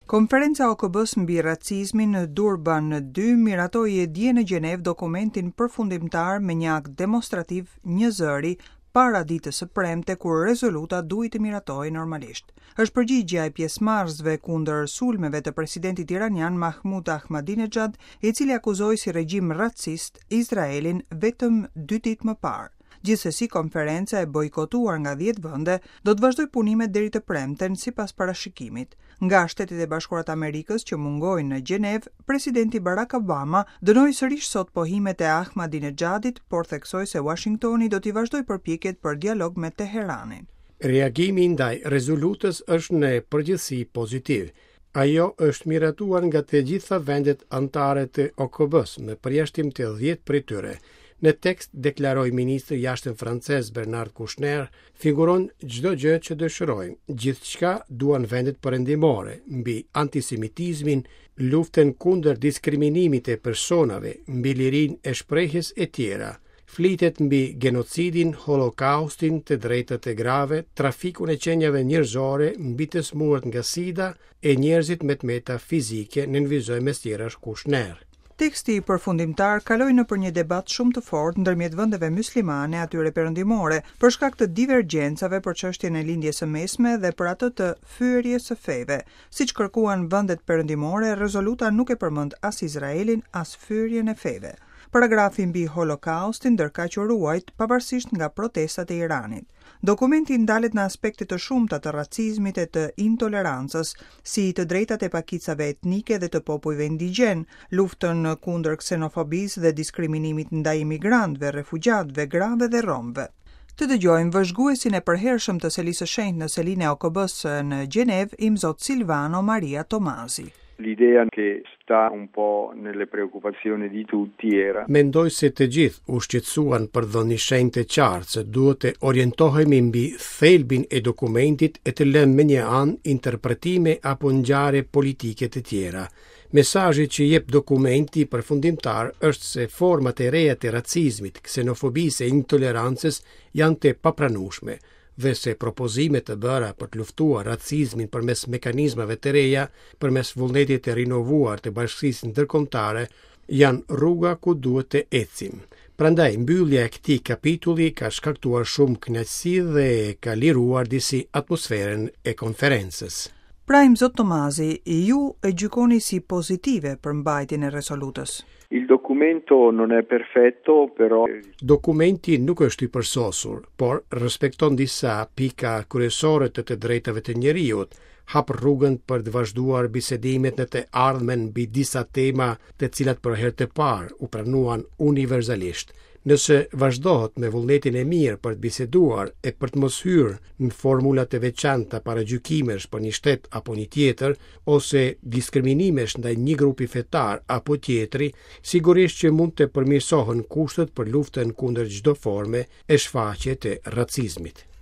Konferenca e OKB-së mbi racizmin në Durban 2 miratoi dje në Gjenevë dokumentin përfundimtar me një akt demonstrativ njëzëri para ditës së premte kur rezoluta duhej të miratohej normalisht. Është përgjigja e pjesëmarrësve kundër sulmeve të presidentit iranian Mahmoud Ahmadinejad, i cili akuzoi si regjim racist Izraelin vetëm dy ditë më parë. Gjithsesi konferenca e bojkotuar nga 10 vende do të vazhdojë punimet deri të premten sipas parashikimit. Nga Shtetet e Bashkuara të Amerikës që mungojnë në Gjenevë, presidenti Barack Obama dënoi sërish sot pohimet e Ahmadinejadit, por theksoi se Washingtoni do t'i vazhdojë përpjekjet për dialog me Teheranin. Reagimi ndaj rezolutës është në përgjithësi pozitiv. Ajo është miratuar nga të gjitha vendet anëtare të OKB-së, me përjashtim të 10 prej tyre. Në tekst, deklaroi ministri i jashtëm francez Bernard Kouchner, figuron çdo gjë që dëshirojmë, gjithçka duan vendet perëndimore, mbi antisemitizmin, luftën kundër diskriminimit të personave, mbi lirinë e shprehjes e tjera. Flitet mbi genocidin, holokaustin, të drejtat e grave, trafikun e qenieve njerëzore, mbi të sëmurët nga sida e njerëzit me të meta fizike, nënvizoi mes tjerash Kushner. Teksti përfundimtar kaloi nëpër një debat shumë të fortë ndërmjet vendeve myslimane e atyre perëndimore, për shkak të divergjencave për çështjen e Lindjes së Mesme dhe për atë të fyerjes së feve. Siç kërkuan vendet perëndimore, rezoluta nuk e përmend as Izraelin, as fyerjen e feve. Paragrafi mbi Holokaustin ndërkaq u ruajt, pavarësisht nga protestat e Iranit. Dokumenti ndalet në aspekte të shumta të racizmit e të intolerancës, si të drejtat e pakicave etnike dhe të popujve indigjenë, luftën kundër ksenofobisë dhe diskriminimit ndaj imigrantëve, refugjatëve, grave dhe romëve. Të dëgjojmë vëzhguesin e përhershëm të Selisë së Shenjtë në selinë e OKB-së në Gjenevë, Imzot Silvano Maria Tomasi. L'idea che sta un po' nelle preoccupazioni di tutti era. Mendoj se të gjithë u shqetësuan për të dhënë një shenjë të qartë se duhet të orientohemi mbi thelbin e dokumentit e të lëmë mënjanë interpretime apo ngjarje politike të tjera. Mesazhi që jep dokumenti përfundimtar është se format e reja të racizmit, ksenofobisë e intolerancës janë të papranueshme dhe se propozimet të bëra për të luftuar racizmin përmes mekanizmave të reja, përmes vullnetit të rinovuar të bashkësisë ndërkombëtare, janë rruga ku duhet të ecim. Prandaj, mbyllja e këtij kapitulli ka shkaktuar shumë kënaqësi dhe ka liruar disi atmosferën e konferencës. Pra Imzot Tomazi, ju e gjykoni si pozitive përmbajtjen e rezolutës. Il documento non è perfetto, però Dokumenti nuk është i përsosur, por respekton disa pika kryesore të të drejtave të njeriut, hap rrugën për të vazhduar bisedimet në të ardhmen mbi disa tema të cilat për herë të parë u pranuan universalisht. Nëse vazhdohet me vullnetin e mirë për të biseduar e për të mos hyrë në formula të veçanta paragjykimesh për një shtet apo një tjetër, ose diskriminimesh ndaj një grupi fetar apo tjetri, sigurisht që mund të përmirësohen kushtet për luftën kundër çdo forme e shfaqje të racizmit.